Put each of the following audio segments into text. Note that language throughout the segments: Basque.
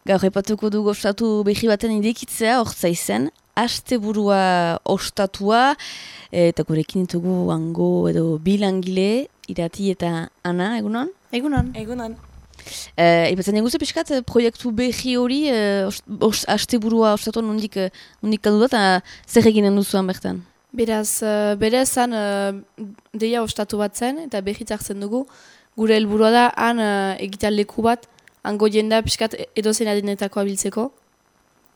Gaur epatuko dugu ostatu behi baten irekitzea, hortza izen, asteburua ostatua, eta gurekin ditugu hango edo bilangile, Irati eta Ana, egunon? Egunon. Egunon. Ipatzen eguze pixkat, proiektu behi hori, asteburua ostatuan nondik kaldu da, eta zer eginen duzuan bertan? Beraz, bere zan deia ostatu bat zen, eta behitz hartzen dugu, gure helburua da, han egitea leku bat, hango jenda pixkat edozein adinetako abiltzeko.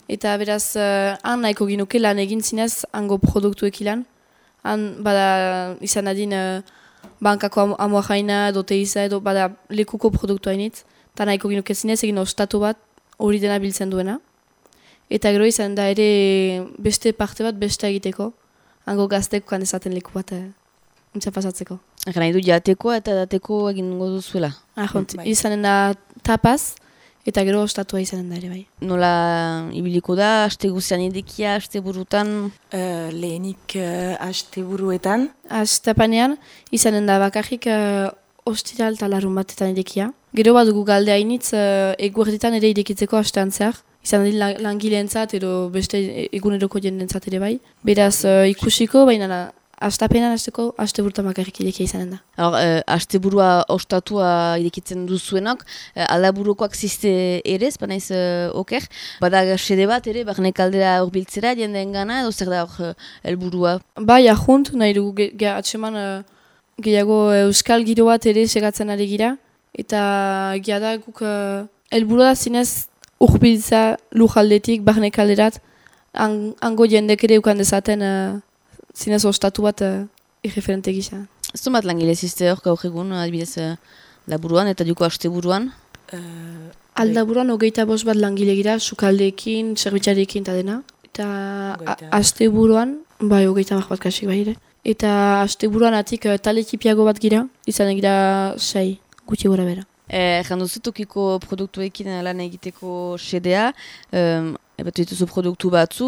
Eta beraz, han nahiko ginuke lan egin zinez, hango produktuek ilan. Han bada izan adin bankako amua jaina, edo teiza, edo bada lekuko produktu hainitz. Eta nahiko ginuke zinez egin ostatu bat hori dena biltzen duena. Eta gero izan da ere beste parte bat beste egiteko. Hango gazteko kan ezaten leku bat untsa pasatzeko. Egan nahi du jateko eta dateko egin duzuela. Ahont, izanen da tapaz, eta gero ostatua izanen da ere bai. Nola ibiliko da, aste guzian idekia, aste burutan? Lehenik aste buruetan. Astapanean, izanen da bakarrik ostiral eta larun batetan idekia. Gero bat dugu galde hainitz eguerditan ere idekitzeko astean zehar. Izan din langileentzat edo beste eguneroko jendentzat ere bai. Beraz ikusiko, baina astapenean aste burutan bakarrik idekia izanen da. Asteburua ostatua irekitzen duzuenak, aldaburukoak ziste ere, banaiz oker. Bada sede bat ere, barne kaldera horbiltzera jendeen gana, edo zer da hor helburua? Bai, ahunt, nahi dugu atseman gehiago euskal giro bat ere segatzen ari gira. Eta da guk helburua da zinez urbiltza lujaldetik, barne kalderat, hango jendek ere ukan dezaten zinez ostatu bat irreferente gisa. Ez du bat langile ziste hor gaur egun, adibidez laburuan eta duko asteburuan? Aldaburuan 25 bat langile gira, sukaldeekin, zerbitzarekin eta dena. Eta asteburuan, bai 30 bat kasik bai ere. Eta asteburuan atik tale ekipiago bat gira, izan gira 6, gutxi gora bera. Janduzu tokiko produktuekin lan egiteko sedea, ebatu dituzu produktu batzu,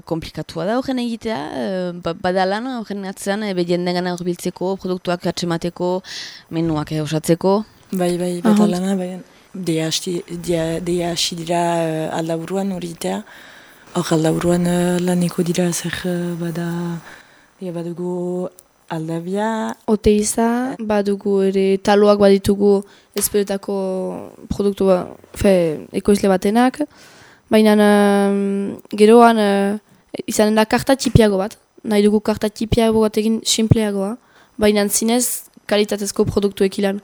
komplikatua da horren egitea, bada lan horren atzean, jenden gana horbiltzeko, produktuak atsemateko, menuak osatzeko. Bai, bada lana, deia hasi dira aldaburuan hori egitea. Hor aldaburuan laneko dira zer bada, badugu aldabia. Oteiza, badugu ere taloak baditugu ezperetako produktu ekoizle batenak. Baina geroan izanen da karta txipiago bat. Nahi dugu karta txipiago bat egin simpleagoa. Baina zinez kalitatezko produktuek ilan.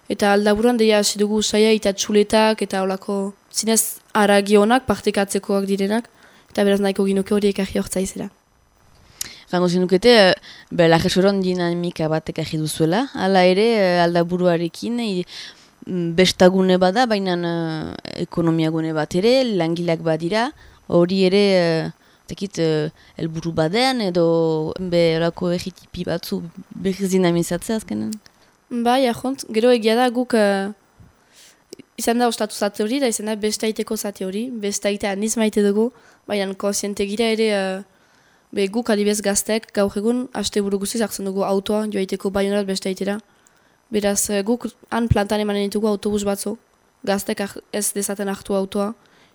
Eta aldaburuan deia hasi dugu saia eta txuletak eta holako zinez aragionak partekatzekoak direnak. Eta beraz nahiko ginuke horiek ahi hortzaizera. Gango zinukete, lajesoron dinamika batek ahi duzuela. Hala ere, aldaburuarekin, bestagune bada, baina ekonomiagune bat ere, langileak badira. Hori ere, helburu badean edo berako egitipi batzu behiz dinamizatzea azkenen? Bai, ahont, gero egia da guk izan da ostatu zate hori, da izan da bestaiteko zate hori. Bestaitea niz maite dugu, baina konsiente gira ere guk adibez gaztek gaur egun asteburu guziz hartzen dugu autoa joaiteko baionarat bestaitera. Beraz guk han plantan emanen ditugu autobus batzu, gaztek ez dezaten hartu autoa,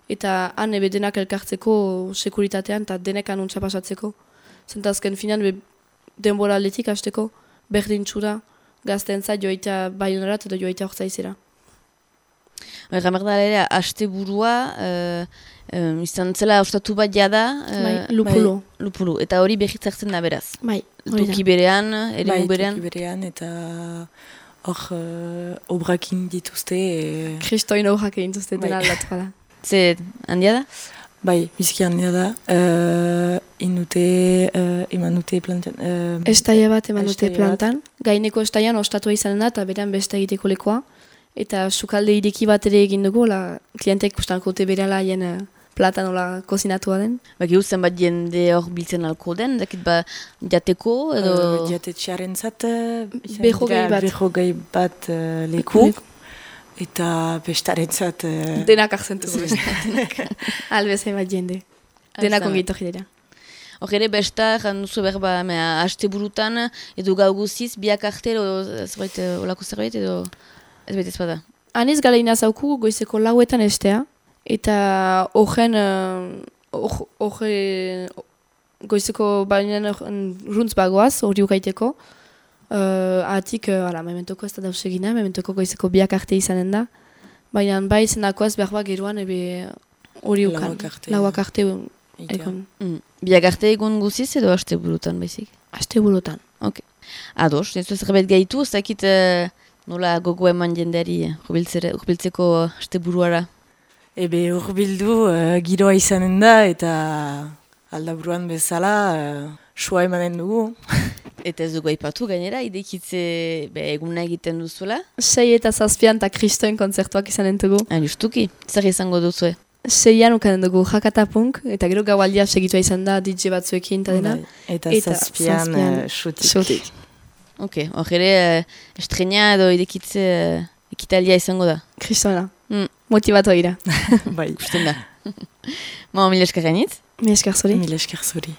eta han denak elkartzeko sekuritatean eta denek anuntza pasatzeko. Zentazken finan denbora aldetik hasteko berdin txura gazteentzat joaitea baionarat edo joaitea hortzaizera. Gamerda ere, asteburua izan zela ostatu bat jada. Lupulu. Lupulu. Eta hori behitz hartzen da beraz. Bai, toki berean, eremu berean. Toki berean eta hor obrakin dituzte. Kristoin obrak egin dituzte dena aldatu da. Ze handia da? Bai, biziki handia da. Eman dute plantan. Estaia bat eman dute plantan. Gaineko estaian ostatua izanen da eta berean beste egiteko lekoa. Eta sukalde ireki bat ere egin dugu, klientek kustanko dute bereala haien platan kozinatua den. Baki zen bat jende hor biltzen alko den, dakit jateko edo... Jatetxearen zat, behogei bat leku. Eta bestaren zat... Denak akzentu. Albezai bat jende. Denak ongeito jidera. Hor ere besta, janduzu berba, haste burutan, edo gau guziz, biak arte, olako zerbait, edo... Ez baita ez bada. Hanez galeina zauku goizeko lauetan estea, Eta horren goizeko baina runtz bagoaz, hori ukaiteko. Atik, mementoko ez da dausegina, mementoko goizeko biak arte izanen da. Baina bai zenakoaz behar bat geruan hori ukan. Lauak arte egon. Biak arte egun guziz edo haste burutan baizik? Haste burutan. Ok. Ados, ez zerbait gaitu, ez dakit nola gogo eman jendeari urbiltzeko haste buruara? Ebe urbildu giroa izanen da eta aldaburuan bezala sua emanen dugu. Eta ez dugu aipatu gainera, idekitze eguna egiten duzuela? 6 eta 7 eta kristoen kontzertuak izanen dugu. Justuki, zer izango duzue? 6an ukanen dugu jakatapunk, eta gero gaualdia segitua izan da DJ batzuekin eta dena. Eta 7an xutik. Ok, hor ere estrena edo idekitze ekitalia izango da? Kristoena, motivatu gira. Bai. Gusten da. Mila esker gainitz? Mila esker zuri. Mila esker zuri.